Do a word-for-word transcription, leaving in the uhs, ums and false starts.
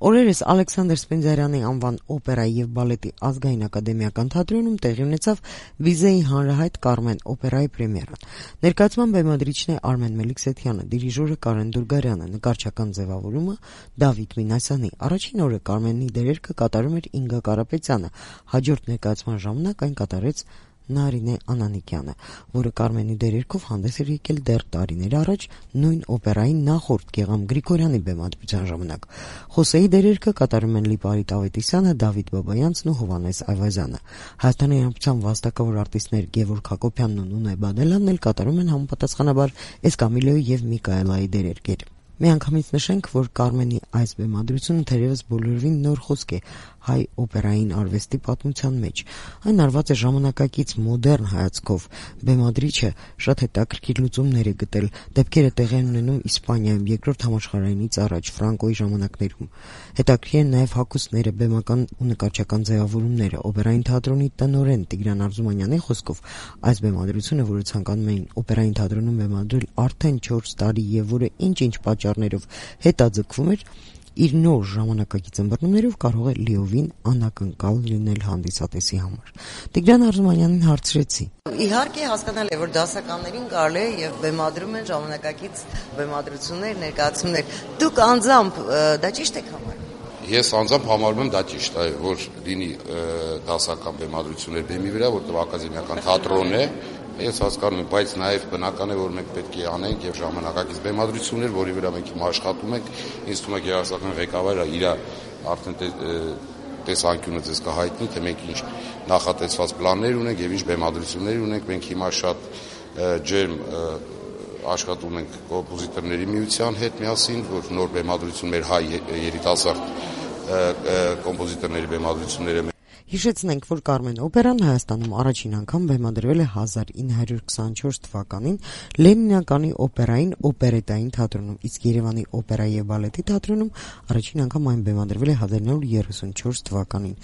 Օրերս Ալեքսանդր Սպենդիարյանի անվան օպերայի եւ բալետի ազգային ակադեմիական թատրոնում տեղի ունեցավ Վիզեի հանրահայտ Կարմեն օպերայի պրեմիերան։ Ներկայացման բեմադրիչն է Արմեն Մելիքսեթյանը, դիրիժորը Կարեն Դուրգարյանը, նկարչական ձևավորումը Դավիթ Մինասյանի։ Առաջին օրը Կարմենի դերերքը կատարում էր Ինգա Կարապետյանը, հաջորդ ներկայացման ժամանակ այն կատարեց Նարինե Անանիկյանը, որը Կարմենի դերերքով հանդես էր եկել դեռ տարիներ առաջ նույն օպերայի նախորդ Գեգամ Գրիգորյանի բեմադրության ժամանակ։ Խոսեի դերերքը կատարում են Լիպարիտ Ավետիսյանը, Դավիթ Բաբայանցն ու Հովհաննես Այվազյանը։ Հայաստանի Հանրապետության վաստակավոր արտիստներ Գևորգ Հակոբյանն ու Նունե Բադելյանն էլ կատարում են համապատասխանաբար Էսկամիլոյի եւ Միկայելայի դերեր։ Միանգամից նշենք, որ Կարմենի այս բեմադրությունը թերևս բոլորովին նոր խոսք է հայ օպերային արվեստի պատմության մեջ։ Այն արված է ժամանակակից մոդեռն հայացքով։ Բեմադրիչը շատ հետաքրքիր լուծումներ է գտել, դեպքերը տեղի են ունենում Իսպանիայում երկրորդ համաշխարհայինից առաջ Ֆրանկոյի ժամանակներում։ Հետաքրքիր են նաև հագուստները, բեմական ու նկարչական ձևավորումները։ Օպերային թատրոնի տնօրեն Տիգրան Արզումանյանի խոսքով այս բեմադրությունը, որը ցանկանում էին օպերային թատրոնում բեմադրել արդեն չորս տարի եւ որը ինչ-ինչ պատճառներով հետաձգվում էր, իր նոր ժամանակակից ըմբռնումներով կարող է լիովին անակնկալ լինել հանդիսատեսի համար։ Տիգրան Արզումանյանին հարցրեցի. Իհարկե հասկանալ է, որ դասականներին կարելի է եւ բեմադրում են ժամանակակից բեմադրություններ, ներկայացումներ։ Դուք անձամբ դա ճիշտ եք համարում։ Ես անձամբ համարում եմ դա ճիշտ է, որ լինի դասական բեմադրություններ բեմի վրա, որտեղ ակադեմիական թատրոն է։ Ես հասկանում եմ, բայց նաև բնական է, որ մենք պետք է անենք եւ ժամանակակից բեմադրություններ, որի վրա մենք հիմա աշխատում ենք։ Ինձ թվում է գերազանցական ղեկավարը իր արդեն տեսանկյունը ձեզ կհայտնի, թե մենք ինչ նախատեսված պլաններ ունենք եւ ինչ բեմադրություններ ունենք։ Մենք հիմա շատ ջերմ աշխատում ենք կոմպոզիտորների միության հետ միասին, որ նոր բեմադրություն մեր հայ երիտասարդ կոմպոզիտորների բեմադրությունները։ Հիշեցնենք, որ Կարմեն օպերան Հայաստանում առաջին անգամ բեմադրվել է հազար ինը հարյուր քսանչորս թվականին Լենինականի օպերային օպերետային թատրոնում, իսկ Երևանի օպերայի եւ բալետի թատրոնում առաջին անգամ այն բեմադրվել է հազար ինը հարյուր երեսունչորս թվականին։